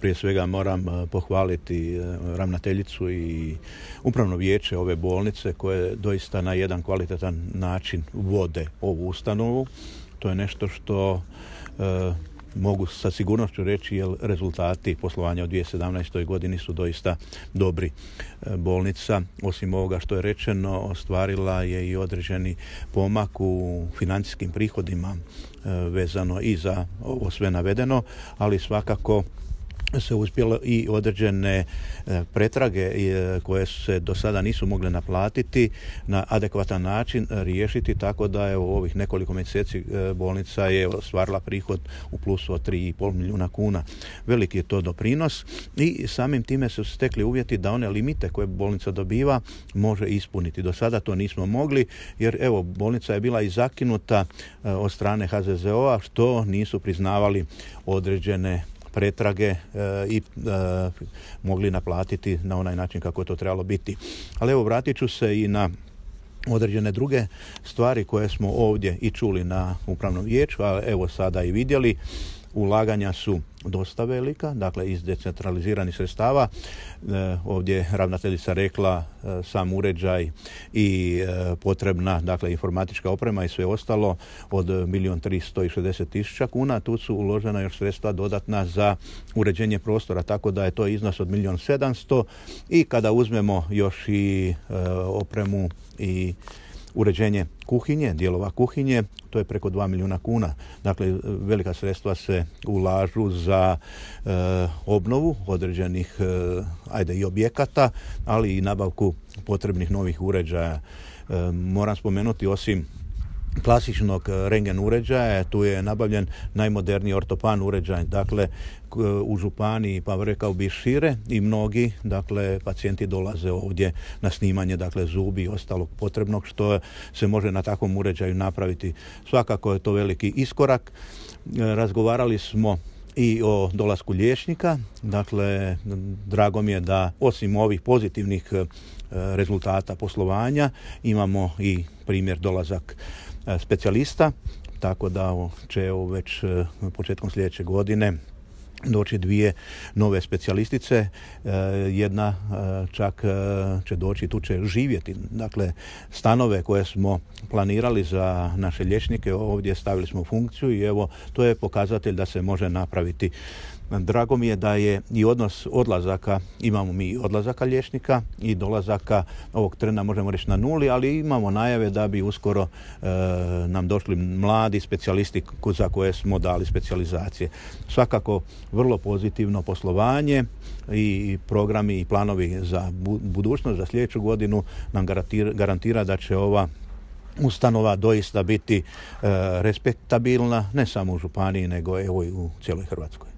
Prije svega moram pohvaliti ravnateljicu i upravno vijeće ove bolnice koje doista na jedan kvalitetan način vode ovu ustanovu. To je nešto što mogu sa sigurnošću reći jer rezultati poslovanja u 2017. godini su doista dobri. Bolnica, osim ovoga što je rečeno, ostvarila je i određeni pomak u financijskim prihodima vezano i za ovo sve navedeno, ali svakako se uspjelo i određene pretrage koje se do sada nisu mogle naplatiti na adekvatan način riješiti, tako da je u ovih nekoliko mjeseci bolnica je ostvarila prihod u plusu od 3,5 milijuna kuna. Veliki je to doprinos i samim time su stekli uvjeti da one limite koje bolnica dobiva može ispuniti. Do sada to nismo mogli jer evo bolnica je bila i zakinuta od strane HZZO-a što nisu priznavali određene pretrage i mogli naplatiti na onaj način kako je to trebalo biti. Ali evo vratit ću se i na određene druge stvari koje smo ovdje i čuli na upravnom vijeću, a evo sada i vidjeli. Ulaganja su dosta velika, dakle iz decentraliziranih sredstava. Ovdje je ravnateljica rekla sam uređaj i potrebna dakle informatička oprema i sve ostalo od 1.360.000 kuna. Tu su uložena još sredstva dodatna za uređenje prostora, tako da je to iznos od 1.700.000 i kada uzmemo još i opremu i uređenje kuhinje, dijelova kuhinje, to je preko 2 milijuna kuna. Dakle, velika sredstva se ulažu za obnovu određenih i objekata, ali i nabavku potrebnih novih uređaja. Moram spomenuti osim klasičnog rentgen uređaja, tu je nabavljen najmoderniji ortopan uređaj, dakle u županiji, pa rekao bi šire i mnogi, dakle pacijenti dolaze ovdje na snimanje, dakle zubi i ostalog potrebnog što se može na takvom uređaju napraviti. Svakako je to veliki iskorak. Razgovarali smo i o dolasku liječnika, dakle drago mi je da osim ovih pozitivnih rezultata poslovanja imamo i primjer dolazak specijalista, tako da će već početkom sljedeće godine doći 2 nove specijalistice, jedna čak će doći, tu će živjeti. Dakle, stanove koje smo planirali za naše liječnike ovdje stavili smo u funkciju i evo, to je pokazatelj da se može napraviti. Drago mi je da je i odnos odlazaka, imamo mi odlazaka liječnika i dolazaka ovog trena možemo reći na nuli, ali imamo najave da bi uskoro nam došli mladi specijalisti za koje smo dali specijalizacije. Svakako vrlo pozitivno poslovanje i programi i planovi za budućnost, za sljedeću godinu nam garantira da će ova ustanova doista biti respektabilna, ne samo u županiji, nego evo i u cijeloj Hrvatskoj.